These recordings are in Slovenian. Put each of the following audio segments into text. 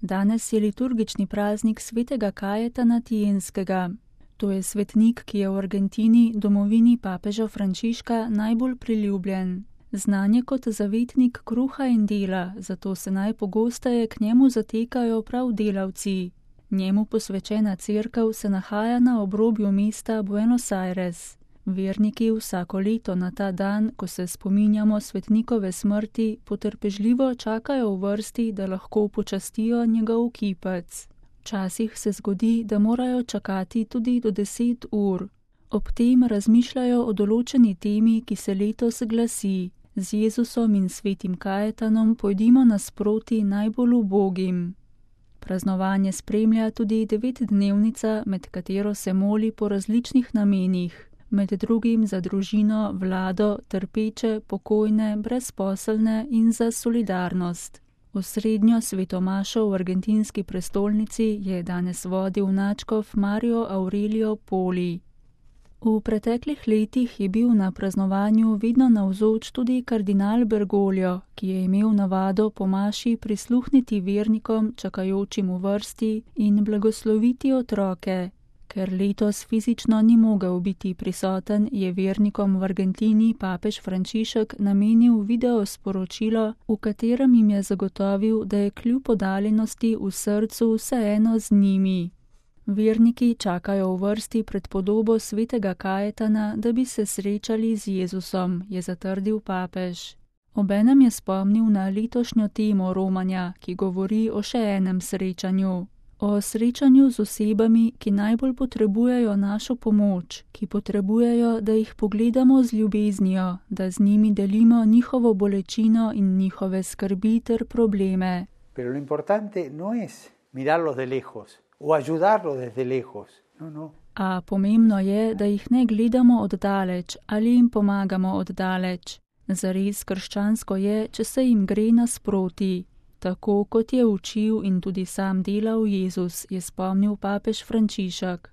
Danes je liturgični praznik svetega Kajetana Tienskega. To je svetnik, ki je v Argentini, domovini papeža Frančiška, najbolj priljubljen. Znan je kot zavetnik kruha in dela, zato se najpogosteje k njemu zatekajo prav delavci. Njemu posvečena cerkev se nahaja na obrobju mesta Buenos Aires. Verniki vsako leto na ta dan, ko se spominjamo svetnikove smrti, potrpežljivo čakajo v vrsti, da lahko počastijo njegov kipec. Včasih se zgodi, da morajo čakati tudi do 10 ur. Ob tem razmišljajo o določeni temi, ki se letos glasi: Z Jezusom in svetim Kajetanom pojdimo nasproti najbolj ubogim. Praznovanje spremlja tudi 9-dnevnica, med katero se moli po različnih namenih, med drugim za družino, vlado, trpeče, pokojne, brezposelne in za solidarnost. Osrednjo svetomašo v argentinski prestolnici je danes vodil nadškof Mario Aurelio Poli. V preteklih letih je bil na praznovanju vedno navzoč tudi kardinal Bergoglio, ki je imel navado po maši prisluhniti vernikom, čakajočim v vrsti, in blagosloviti otroke. Ker letos fizično ni mogel biti prisoten, je vernikom v Argentini papež Frančišek namenil video sporočilo, v katerem jim je zagotovil, da je kljub oddaljenosti v srcu vseeno z njimi. Verniki čakajo v vrsti pred podobo svetega Kajetana, da bi se srečali z Jezusom, je zatrdil papež. Obenem je spomnil na letošnjo temo romanja, ki govori o še enem srečanju. O srečanju z osebami, ki najbolj potrebujejo našo pomoč, ki potrebujejo, da jih pogledamo z ljubeznijo, da z njimi delimo njihovo bolečino in njihove skrbi ter probleme. Pero lo importante no es mirarlos de lejos o ayudarlos desde lejos. No. A pomembno je, da jih ne gledamo oddaleč ali jim pomagamo oddaleč. Zares krščansko je, če se jim gre nasproti. Tako kot je učil in tudi sam delal Jezus, je spomnil papež Frančišek.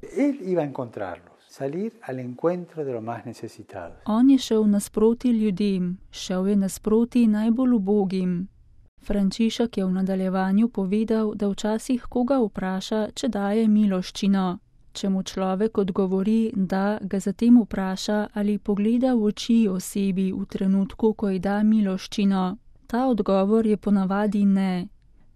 On je šel nasproti ljudem, šel je nasproti najbolj ubogim. Frančišek je v nadaljevanju povedal, da včasih koga vpraša, če daje miloščino. Če mu človek odgovori, da, ga zatem vpraša, ali pogleda v oči osebi v trenutku, ko ji da miloščino. Ta odgovor je ponavadi ne.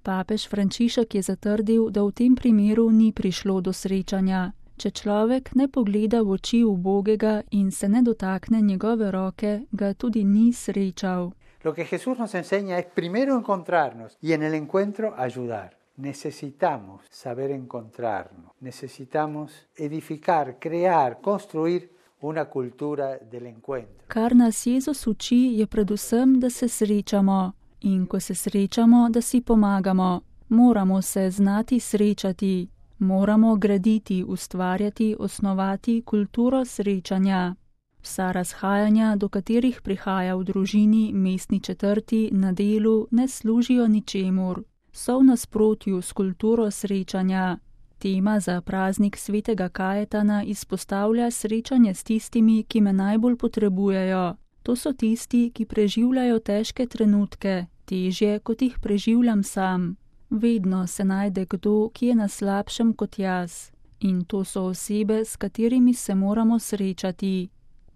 Papež Frančišek je zatrdil, da v tem primeru ni prišlo do srečanja. Če človek ne pogleda v oči ubogega in se ne dotakne njegove roke, ga tudi ni srečal. Lo que Jesús nos enseña es primero encontrarnos y en el encuentro ayudar. Necesitamos saber encontrarnos. Necesitamos edificar, crear, construir una cultura del encuentro. Kar nas Jezus uči, je predvsem, da se srečamo. In ko se srečamo, da si pomagamo. Moramo se znati srečati. Moramo graditi, ustvarjati, osnovati kulturo srečanja. Vsa razhajanja, do katerih prihaja v družini, mestni četrti, na delu, ne služijo ničemur. So v nasprotju s kulturo srečanja. Tema za praznik svetega Kajetana izpostavlja srečanje s tistimi, ki me najbolj potrebujejo. To so tisti, ki preživljajo težke trenutke, težje, kot jih preživljam sam. Vedno se najde kdo, ki je na slabšem kot jaz. In to so osebe, s katerimi se moramo srečati.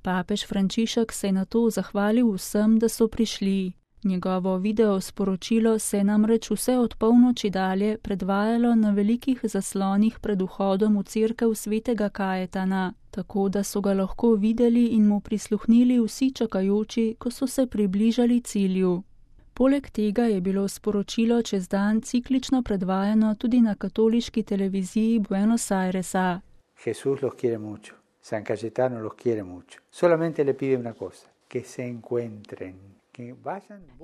Papež Frančišek se je na to zahvalil vsem, da so prišli. Njegovo video sporočilo se je namreč vse od polnoči dalje predvajalo na velikih zaslonih pred vhodom v cerkev svetega Kajetana, tako da so ga lahko videli in mu prisluhnili vsi čakajoči, ko so se približali cilju. Poleg tega je bilo sporočilo čez dan ciklično predvajano tudi na katoliški televiziji Buenos Airesa. Jesús los quiere mucho. San Cayetano los quiere mucho. Solamente le pide una cosa, que se encuentren.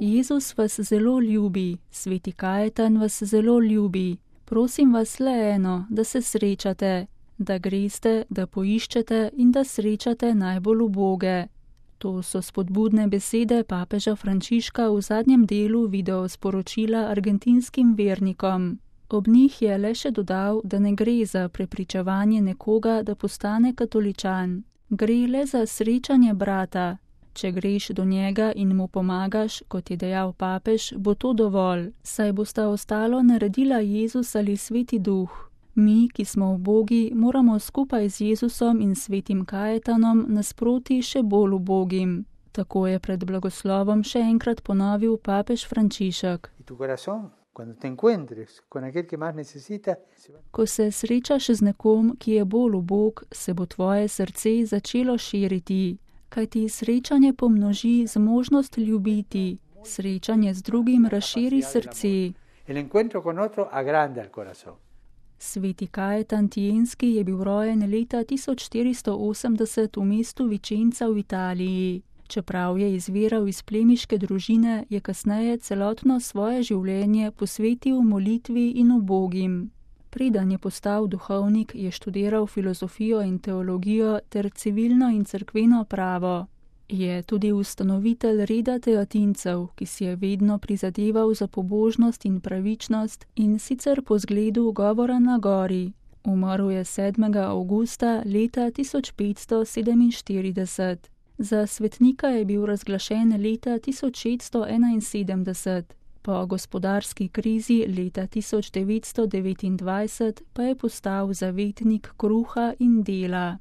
Jezus vas zelo ljubi, sveti Kajetan vas zelo ljubi. Prosim vas le eno, da se srečate, da greste, da poiščete in da srečate najbolj uboge. To so spodbudne besede papeža Frančiška v zadnjem delu video sporočila argentinskim vernikom. Ob njih je le še dodal, da ne gre za prepričevanje nekoga, da postane katoličan. Gre le za srečanje brata. Če greš do njega in mu pomagaš, kot je dejal papež, bo to dovolj, saj bosta ostalo naredila Jezus ali Sveti Duh. Mi, ki smo ubogi, moramo skupaj z Jezusom in svetim Kajetanom nasproti še bolj ubogim. Tako je pred blagoslovom še enkrat ponovil papež Frančišek. Ko se srečaš z nekom, ki je bolj ubog, se bo tvoje srce začelo širiti, kajti srečanje pomnoži zmožnost ljubiti, srečanje z drugim razširi srce. Sveti Kajetan Tijenski je bil rojen leta 1480 v mestu Vicenza v Italiji. Čeprav je izviral iz plemiške družine, je kasneje celotno svoje življenje posvetil molitvi in ubogim. Preden je postal duhovnik, je študiral filozofijo in teologijo ter civilno in cerkveno pravo. Je tudi ustanovitelj reda teatincev, ki si je vedno prizadeval za pobožnost in pravičnost in sicer po zgledu govora na gori. Umrl je 7. avgusta leta 1547. Za svetnika je bil razglašen leta 1671, po gospodarski krizi leta 1929 pa je postal zavetnik kruha in dela.